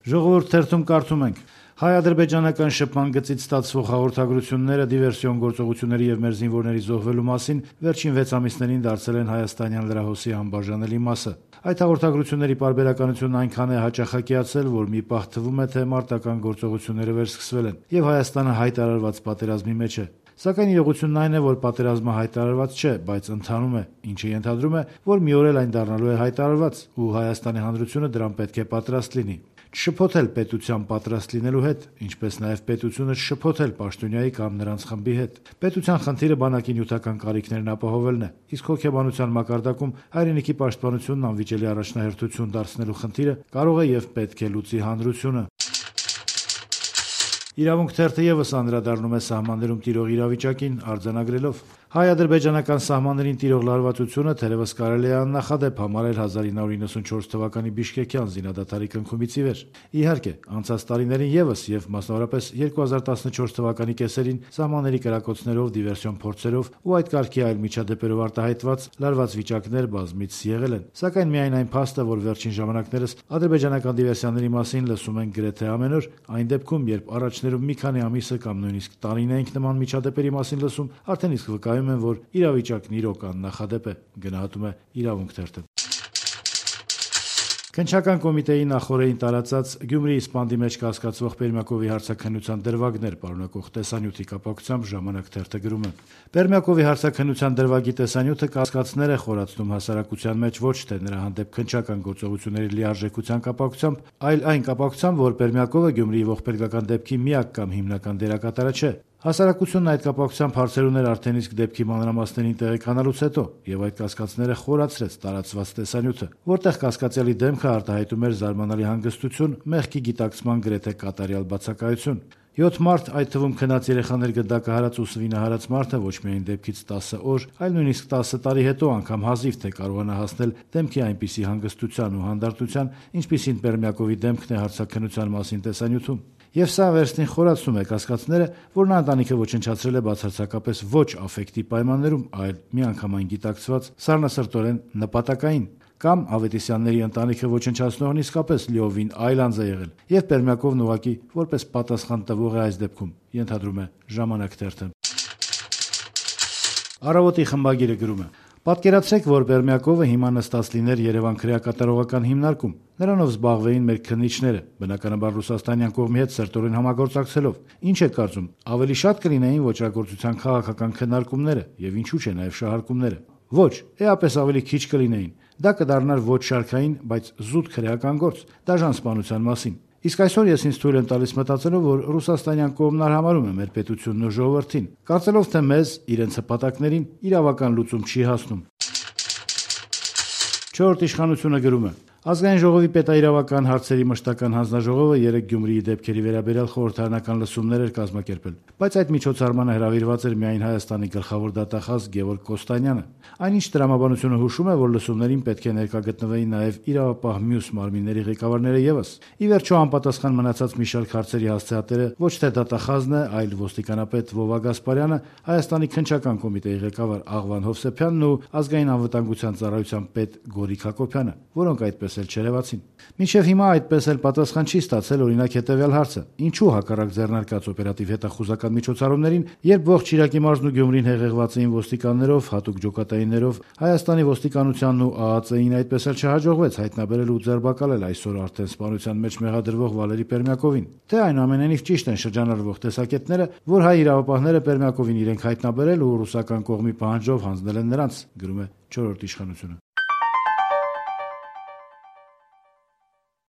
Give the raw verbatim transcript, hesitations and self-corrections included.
Ժողովուրդ թերթում կարդում ենք. հայ-ադրբեջանական շփման գծից ստացվող հաղորդագրությունները դիվերսիոն գործողությունների եւ մեր զինվորների զոհվելու մասին վերջին վեց ամիսներին դարձել են հայաստանյան լրահոսի անբաժանելի մասը։ Այդ հաղորդագրությունների պարբերականությունն այնքան է հաճախակիացել, որ մի պահ թվում է, թե մարտական գործողությունները վերսկսվել են եւ Հայաստանը հայտարարված պատերազմի մեջ է։ Սակայն իրողությունն այն է, որ պատերազմը հայտարարված չէ, բայց ընթանում է, ինչը ենթադրում է, որ մի օր էլ այն դառնալու է հայտարարված, ու Հայաստանի հանրությունը դրան պետք է պատրաստ լինի։ Չշփոթել պետության պատրաստ լինելու հետ, ինչպես նաև պետությունը չշփոթել պաշտոնյայի կամ նրանց խմբի հետ։ Պետության խնդիրը բանակի նյութական կարիքներն ապահովելն է, իսկ հոգեբանության մակարդակում հայրենիքի պաշտպանությունն անվիճելի առաջնահերթություն դարձնելու խնդիրը կարող է եւ պետք է լուծի հանրությունը։ Իրավունք թերթը եւս անդրադառնում է սահմաններում տիրող իրավիճակին, արձանագրելով. հայ-ադրբեջանական սահմաններին տիրող լարվածությունը թերևս կարելի է աննախադեպ համարել հազար ինը հարյուր իննսունչորս թվականի Բիշկեկյան զինադադարի կնքումից ի վեր։ Իհարկե, անցած տարիներին եւս եւ մասնավորապես երկու հազար տասնչորս թվականի կեսերին սահմանների կրակոցներով, դիվերսիոն փորձերով ու այդ կարգի այլ միջադեպերով արտահայտված լարված վիճակներ բազմից եղել են։ Սակայն միայն այն փաստը, որ վերջին ժամանակներս ադրբեջանական դիվերսիաների մասին լսում ենք գրեթե ամեն օր, այն դեպքում, երբ առաջներում մի քանի ամիսը կամ նույնիսկ տարին էինք նման միջադեպերի մասին լսում, արդեն իսկ վկայում են, որ իրավիճակն իրոք աննախադեպ է, գնահատում է Իրավունք թերթը։ Քննչական կոմիտեի նախօրեին տարածած Գյումրիի Սպանդի մեջ կասկածվող Պերմյակովի հարցաքննության դրվագներ պարունակող տեսանյութի կապակցությամբ Ժամանակ թերթը գրում է. Պերմյակովի հարցաքննության դրվագի տեսանյութը կասկածներ է խորացնում հասարակության մեջ ոչ թե նրա հանդեպ քննչական գործողությունների լիարժեքության կապակցությամբ, այլ այն կապակցությամբ, որ Պերմյակովը Գյումրիի ողբերգական դեպքի միակ կամ հիմնական դերակատարը չէ։ Հասարակությունն այդ կապակցությամբ հարցեր ուներ արդեն իսկ դեպքի մանրամասներին տեղեկանալուց հետո, եւ այդ կասկածները խորացրեց տարածված տեսանյութը, որտեղ կասկածյալի դեմքը արտահայտում էր զարմանալի հանգստություն, մեղքի գիտակցման գրեթե կատարյալ բացակայություն։ յոթ մարդ, այդ թվում քնած երեխաներ գդակը հարած ու սվինը հարած մարդը ոչ միայն դեպքից տասը օր, այլ նույնիսկ տասը տարի հետո անգամ հազիվ թե կարողանա հասնել դեմքի այնպիսի հանգստության ու հանդարտության, ինչպիսին Պերմյակովի դեմքն է հարցաքննության մասին տեսանյութում։ Եվ սա վերստին խորացնում է կասկածները, որ նա ընտանիքը ոչնչացրել է բացարձակապես ոչ աֆեկտի պայմաններում, այլ միանգամայն գիտակցված, սառնասրտորեն նպատակային, կամ Ավետիսյանների ընտանիքը ոչնչացնողն իսկապես լիովին այլ անձ է եղել, եւ Պերմյակովն ուղղակի որպես պատասխան տվող է այս դեպքում, ենթադրում է Ժամանակ թերթը։ Առավոտի խմբագիրը գրում է. Պատկերացրեք, որ Պերմյակովը հիմա նստած լիներ Երևան քրեակատարողական հիմնարկում։ Նրանով զբաղվեին մեր քննիչները, բնականաբար ռուսաստանյան կողմի հետ սերտորեն համագործակցելով։ Ինչ եք կարծում, ավելի շատ կլինեին ոճրագործության քաղաքական քննարկումները եւ ինչու՞ չէ նաեւ շահարկումները։ Ոչ, էապես ավելի քիչ կլինեին։ Դա կդառնար ոչ շարքային, բայց զուտ քրեական գործ, դաժան սպանության մասին։ Իսկ այսօր ես ինձ թույլ եմ տալիս մտածելով, որ ռուսաստանյան կողմն արհամարհում է մեր պետությունն ու ժողովրդին, կարծելով թե մեզ, իրենց հպատակներին, իրավական լուծում չի հասնում։ Չորրորդ իշխանությունը գրում է. Ազգային ժողովի պետաիրավական հարցերի մշտական հանձնաժողովը երեկ Գյումրիի դեպքերի վերաբերյալ խորհրդարանական լսումներ էր կազմակերպել, բայց այդ միջոցառմանը հրավիրված էր միայն Հայաստանի գլխավոր դատախազ Գևորգ Կոստանյանը։ Այնինչ տրամաբանությունը հուշում է, որ լսումներին պետք է ներկա գտնվեին նաև իրավապահ մյուս մարմինների ղեկավարները ևս։ Ի վերջո անպատասխան մնացած մի շարք հարցերի հասցեատերը ոչ թե դատախազն է, այլ ոստիկանապետ Վովա Գասպարյանը, Հայաստանի քննչական կոմիտեի ղեկավար Աղվան Հովսեփյանն ու ազգային անվտանգության ծառայության պետ Գորիկ Հակոբյանը, որոնք այդպես էլ չերևացին։ Մինչև հիմա այդպես էլ պատասխան չի ստացել օրինակ հետևյալ հարցը. ինչու հակառակ ձեռնարկած օպերատիվ հետախուզական միջոցառումներին, երբ ողջ Շիրակի մարզն ու Գյումրին հեղեղված էին ոստիկաններով, հատուկ ջոկատայիններով, Հայաստանի ոստիկանությանն ու ԱԱԾ-ին այդպես էլ չհաջողվեց հայտնաբերել ու ձերբակալել այսօր արդեն սպանության մեջ մեղադրվող Վալերի Պերմյակովին։ Թե այնուամենայնիվ ճիշտ են շրջանառվող տեսակետները, որ հայ իրավապահները Պերմյակովին իրենք հայտնաբերել ու ռուսական կողմի պահանջով հանձնել են նրանց, գրում է Չորրորդ իշխանությունը։